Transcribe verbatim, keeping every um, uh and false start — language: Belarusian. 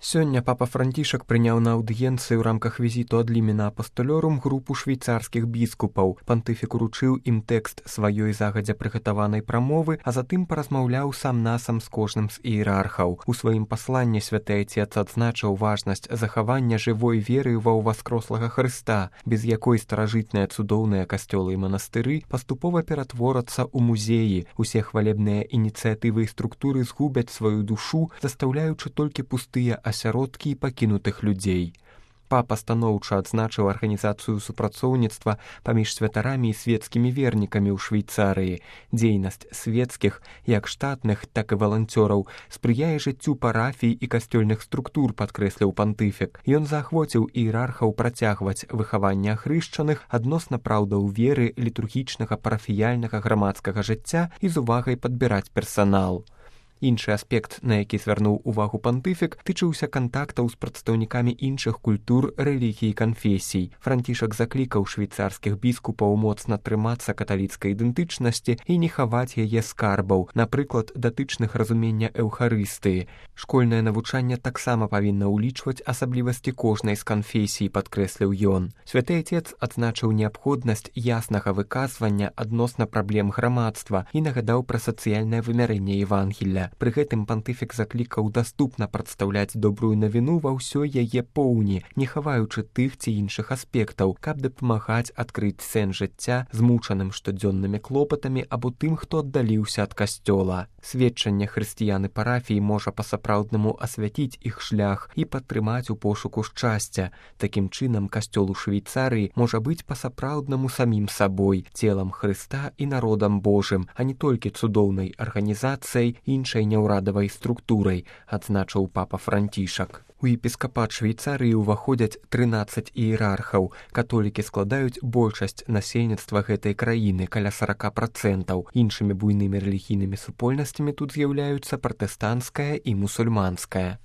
Сёння папа Францішак прыняў на аўдыенцыі ў рамках візіту ад лімена апастолёрум групу швейцарскіх біскупаў. Пантыфік уручыў ім тэкст сваёй загадзя прыгатаванай прамовы, а затым паразмаўляў сам-насам з кожным з іерархаў. У сваім пасланні святы Айцец адзначыў важнасць захавання жывой веры ва ўваскрослага Хрыста, без якой старажытныя цудоўныя касцёлы і манастыры паступова ператворацца ў музеі. Усе хвалебныя ініцыятывы і структуры згубяць сваю душу, застаўляючы толькі пустыя асяродкі і пакінутых людзей. Папа станоўча адзначыў арганізацыю супрацоўніцтва паміж святарамі і свецкімі вернікамі ў Швейцарыі. Дзейнасць свецкіх, як штатных, так і валанцёраў, спрыяе жыццю парафій і касцёльных структур, падкрэсліў пантыфік. Ён заахвоціў іерархаў працягваць выхаванне ахрышчаных адносна праўдаў веры, літургічнага, парафіяльнага, грамадскага жыцця і з увагай падбіраць персанал. Іншы аспект, на які звярнуў увагу пантыфік, тычыўся кантактаў з прадстаўнікамі іншых культур, рэлігій і канфесій. Францішак заклікаў швейцарскіх біскупаў моцна трымацца каталіцкай ідэнтычнасці і не хаваць яе скарбаў, напрыклад, датычных разумення эўхарыстыі. Школьнае навучанне таксама павінна ўлічваць асаблівасці кожнай з канфесій, падкрэсліў ён. Святы Айцец адзначыў неабходнасць яснага выказвання адносна праблем грамадства і нагадаў пра сацыяльнае вымярэнне Евангелля. Пры гэтым пантыфік заклікаў даступна прадстаўляць добрую навіну ва ўсёй яе поўні, не хаваючы тых ці іншых аспектаў, каб дапамагаць адкрыць сэнс жыцця змучаным штодзённымі клопатамі або тым, хто аддаліўся ад касцёла. Сведчанне хрысціян і парафій можа па-сапраўднаму асвяціць іх шлях і падтрымаць у пошуку шчасця. Такім чынам, касцёл у Швейцарыі можа быць па-сапраўднаму самім сабой, целам Хрыста і народам Божым, а не толькі цудоўнай арганізацыяй, іншай няўрадавай структурай, адзначыў папа Францішак. У епіскапат Швейцарыі ўваходзяць трынаццаць іерархаў. Католікі складаюць большасць насельніцтва гэтай краіны, каля сорок процентаў. Іншымі буйнымі рэлігійнымі супольнасцямі тут з'яўляюцца пратэстанцкая і мусульманская.